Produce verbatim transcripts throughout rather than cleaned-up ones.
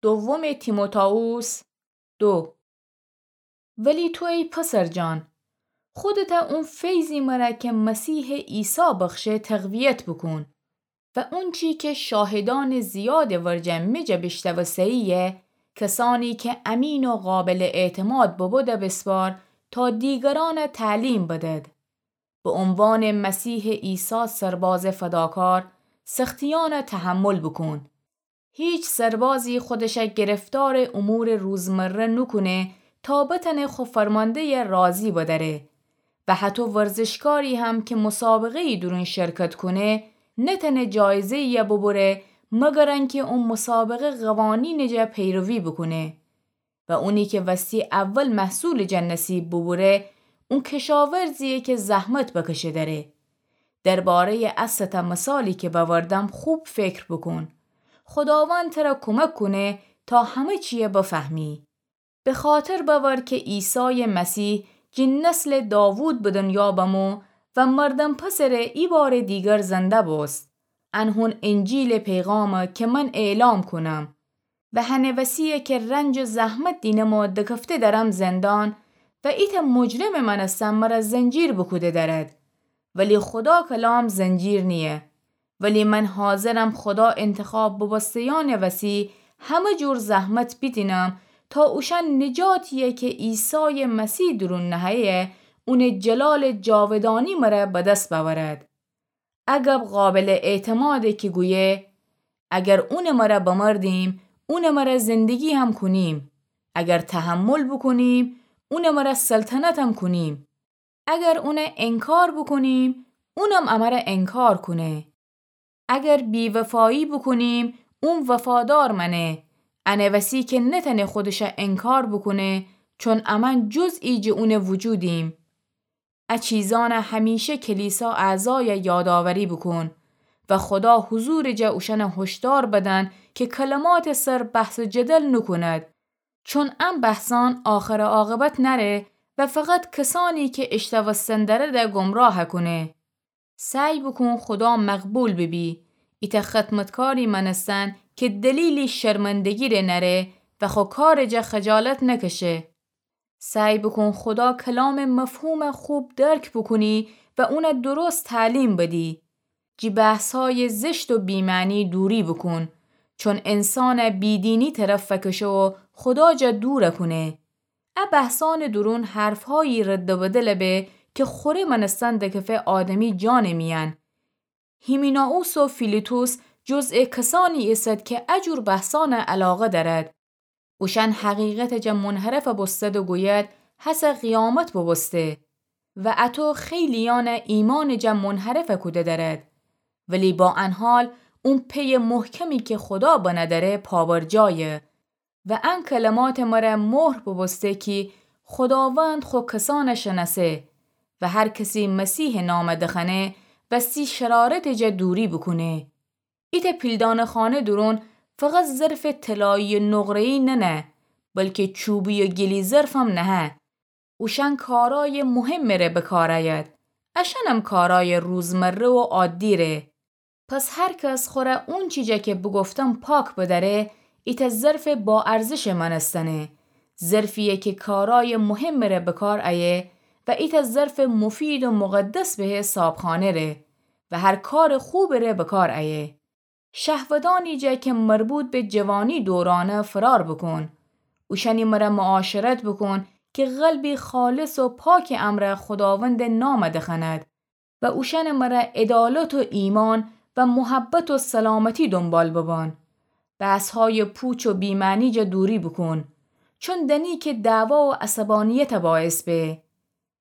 دوم تیموتائوس دو. ولی تو ای پسر جان، خودته اون فیضی مره که مسیح عیسی بخشه تقویت بکون و اونچی که شاهدان زیاد ورجه می جا بیشتوسه‌ییه، کسانی که امین و قابل اعتماد ببوده بسپار تا دیگران تعلیم بدد. به عنوان مسیح عیسی سرباز فداکار سختیان تحمل بکون. هیچ سربازی خودش گرفتار امور روزمره نکونه تا بتنه خو فرمانده راضی بداره و حتی ورزشکاری هم که مسابقه‌ای درون شرکت کنه نتنه جایزه‌ای ببره مگر انکه اون مسابقه قوانین جا پیروی بکونه. و اونی که وستی اول محصول جا نصیب ببوره، اون کشاورزیه که زحمت بکشه دره. دربارهٔ استه مثالی که بوردم خوب فکر بکن. خداوند تره کمک کنه تا همه چیه بفهمی. به خاطر بور که عیسی مسیح جی نسل داوود به دنیا بمو و مردم پسره ای بار دیگر زنده بوست. ان هون انجیل پیغامه که من اعلام کنم. و هنه وسیه که رنج و زحمت دینم و دکفته درم زندان و ایته مجرم مانستن مره زنجیر بوکوده درد. ولی خدا کلام زنجیر نیه. ولی من حاضرم خدا انتخاب ببسته‌یان وسی همه جور زحمت بیدینم تا اوشان نجاتیه که عیسی مسیح درون نهه‌یه اونه جلال جاودانی مره به دس بورد. عجب قابل اعتماده که گویه، اگر اونه مره بمردیم، اونه مره زندگی هم کنیم. اگر تحمل بکنیم، اونه مره سلطنت هم کنیم. اگر اونه انکار بکنیم، اونم امره انکار کنه. اگر بی‌وفایی بکنیم، اون وفادار مانه. انه وسی که نتنه خودشه انکار بکنه، چون امن جزئی جه اونه وجودیم. ا چیزانه همیشه کلیسا اعضایه یادآوری بکن و خدا حضور جا اوشانه هشدار بدن که کلمات سر بحث و جدل نکند، چون ان بحثان آخر عاقبت نره و فقط کسانی که اشتوستن درده گمراه کنه. سعی بکن خدا مقبول ببی. ایته خدمتکاری مانستن که دلیلی شرمندگی ره نره و خو کار جا خجالت نکشه. سعی بکن خدا کلام مفهوم خوب درک بکنی و اونه درست تعلیم بدی. جی بحث‌های زشت و بی‌معنی دوری بکن، چون انسان بی‌دینی طرف فکشه و خدا جا دور کنه. ا بحثان درون حرف‌هایی رد و بدل به که خوره مانستن دکفه آدمی جان میان. هیمینائوس و فیلیتوس جزء کسانی ایسد که ا جور بحثان علاقه دارد. اوشان حقیقت جا منحرف بوستد و گوید، هسه قیامت بوبوسته. و اتو خیلیان ایمان جا منحرف کوده دارد. ولی با ان حال اون پی محکمی که خدا بنه داره پابرجایه. و ان کلمات مره مهر بوبوسته کی خداوند خو کسان شناسه و هر کسی مسیح نام دخنه وستی شرارت جا دوری بکونه. ایته پیلدانه‌خانه درون فقط ظرف طلایی نقره‌ای ننه، بلکه چوبی و گلی ظرفم نهه. اوشان کارای مهم ره بکار آید. اشانم کارای روزمره و عادی ره. پس هر کس خوره اونچی جا که بگفتم پاک بداره، ایته ظرف با ارزش مانستنه. ظرفیه که کارای مهم ره بکار آیه و ایته ظرف مفید و مقدس به صابخانه ره و هر کار خوب ره بکار آیه. شهودانی جا که مربوط به جوانی دورانه فرار بکن. اوشانی مره معاشرت بکن که قلبی خالص و پاک امره خداوند نام دخند و اوشان مره عدالت و ایمان و محبت و سلامتی دنبال ببان. بحث‌های پوچ و بی‌معنی جا دوری بکن، چون دنی که دعوا و عصبانیت باعث به.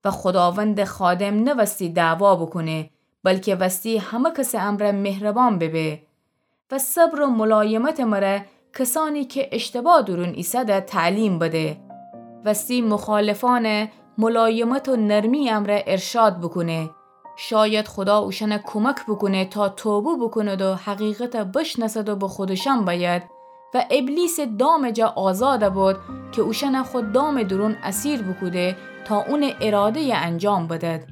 و خداوند خادم نه وستی دعوا بکونه، بلکه وستی همه کس امره مهربان ببه. و صبر و ملایمت مره کسانی که اشتباه درون ایسده تعلیم بده. وستی مخالفان ملایمت و نرمی امره ارشاد بکونه. شاید خدا اوشانه کمک بکونه تا توبه بکند و حقیقت بشناسد و به خودشان باید و ابلیس دام جا آزاد بود که اوشانه خو دام درون اسیر بکوده تا اون اراده انجام بدد.